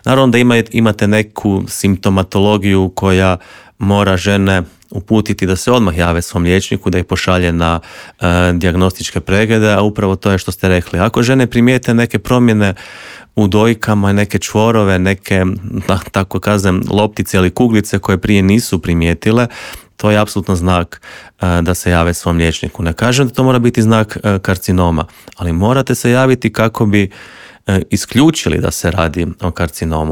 Naravno da imate neku simptomatologiju koja mora žene uputiti da se odmah jave svom liječniku, da ih pošalje na dijagnostičke preglede, a upravo to je što ste rekli. Ako žene primijete neke promjene u dojkama, neke čvorove, neke, tako kažem, loptice ili kuglice koje prije nisu primijetile, to je apsolutno znak da se jave svom liječniku. Ne kažem da to mora biti znak karcinoma, ali morate se javiti kako bi isključili da se radi o karcinomu.